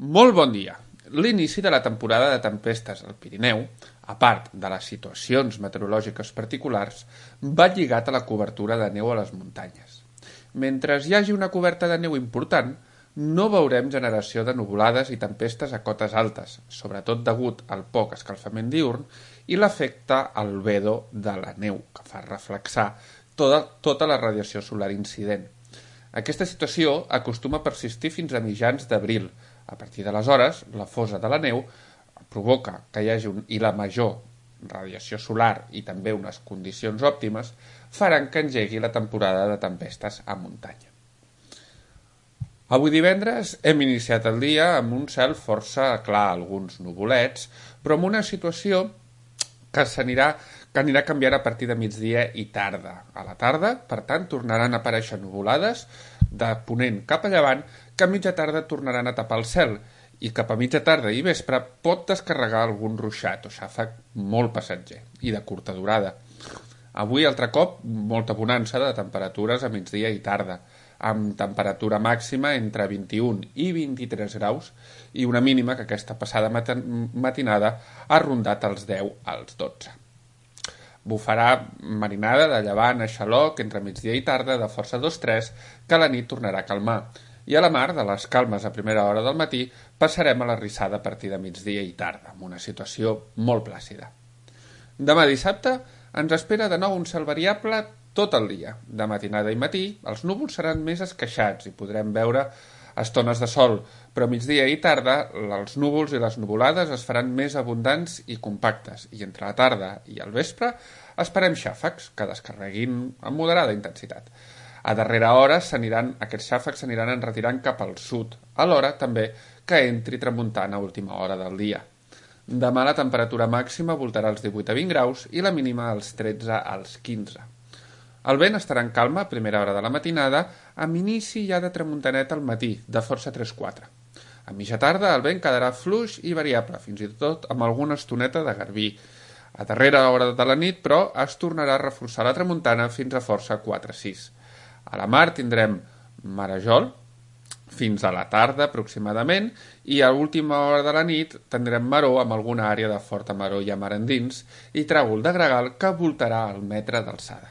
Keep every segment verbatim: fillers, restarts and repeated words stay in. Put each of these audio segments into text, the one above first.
Molt bon dia. L'inici de la temporada de tempestes al Pirineu, a part de les situacions meteorològiques particulars, va lligat a la cobertura de neu a les muntanyes. Mentre hi hagi una coberta de neu important, no veurem generació de nuvolades i tempestes a cotes altes, sobretot degut al poc escalfament diürn i l'efecte albedo de la neu, que fa reflexar tota, tota la radiació solar incident. Aquesta situació acostuma a persistir fins a mitjans d'abril. A partir d'aleshores, la fosa de la neu provoca que hi hagi un, i la major radiació solar i també unes condicions òptimes faran que engegui la temporada de tempestes a muntanya. Avui divendres hem iniciat el dia amb un cel força clar, alguns nuvolets, però amb una situació que s'anirà que anirà canviant a partir de migdia i tarda. A la tarda, per tant, tornaran a aparèixer nuvolades de ponent cap a llevant que a mitja tarda tornaran a tapar el cel i cap a mitja tarda i vespre pot descarregar algun ruixat o xàfec molt passatger i de curta durada. Avui, altre cop, molta bonança de temperatures a migdia i tarda, amb temperatura màxima entre vint-i-un i vint-i-tres graus i una mínima que aquesta passada matinada ha rondat els deu als dotze. Bufarà marinada de llevant a xaloc entre migdia i tarda de força dos tres que a la nit tornarà a calmar. I a la mar, de les calmes a primera hora del matí, passarem a la rissada a partir de migdia i tarda, amb una situació molt plàcida. Demà dissabte ens espera de nou un cel variable tot el dia. De matinada i matí, els núvols seran més esqueixats i podrem veure estones de sol, però a migdia i tarda els núvols i les nuvolades es faran més abundants i compactes, i entre la tarda i el vespre esperem xàfecs que descarreguin amb moderada intensitat. A darrera hora s'aniran, aquests xàfecs s'aniran enretirant cap al sud, alhora també que entri tramuntant a última hora del dia. Demà la temperatura màxima voltarà als divuit a vint graus i la mínima als tretze als quinze. El vent estarà en calma a primera hora de la matinada, amb inici ja de tramuntanet al matí, de força tres quatre. A mitja tarda el vent quedarà fluix i variable, fins i tot amb alguna estoneta de garbí. A darrera hora de la nit, però, es tornarà a reforçar la tramuntana fins a força quatre sis. A la mar tindrem marejol fins a la tarda aproximadament i a l'última hora de la nit tindrem maror amb alguna àrea de forta maror i a mar endins i tràgol de gregal que voltarà al metre d'alçada.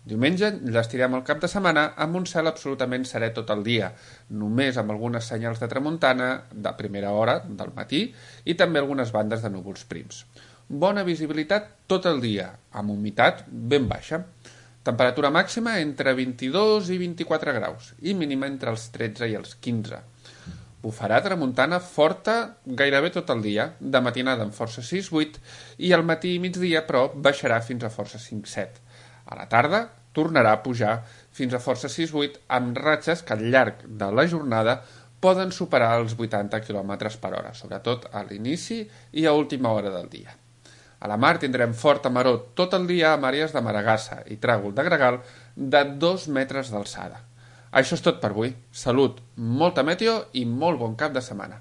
Diumenge l'estirem al cap de setmana amb un cel absolutament serè tot el dia, només amb algunes senyals de tramuntana de primera hora del matí i també algunes bandes de núvols prims. Bona visibilitat tot el dia, amb humitat ben baixa. Temperatura màxima entre vint-i-dos i vint-i-quatre graus i mínima entre els tretze i els quinze. Bufarà tramuntana forta gairebé tot el dia, de matinada en força sis vuit i al matí i migdia, però, baixarà fins a força cinc set. A la tarda tornarà a pujar fins a força sis vuit amb ratxes que al llarg de la jornada poden superar els vuitanta quilòmetres per hora, sobretot a l'inici i a última hora del dia. A la mar tindrem forta maror tot el dia amb àrees de maragassa i tràgol de gregal de dos metres d'alçada. Això és tot per avui. Salut, molta meteo i molt bon cap de setmana.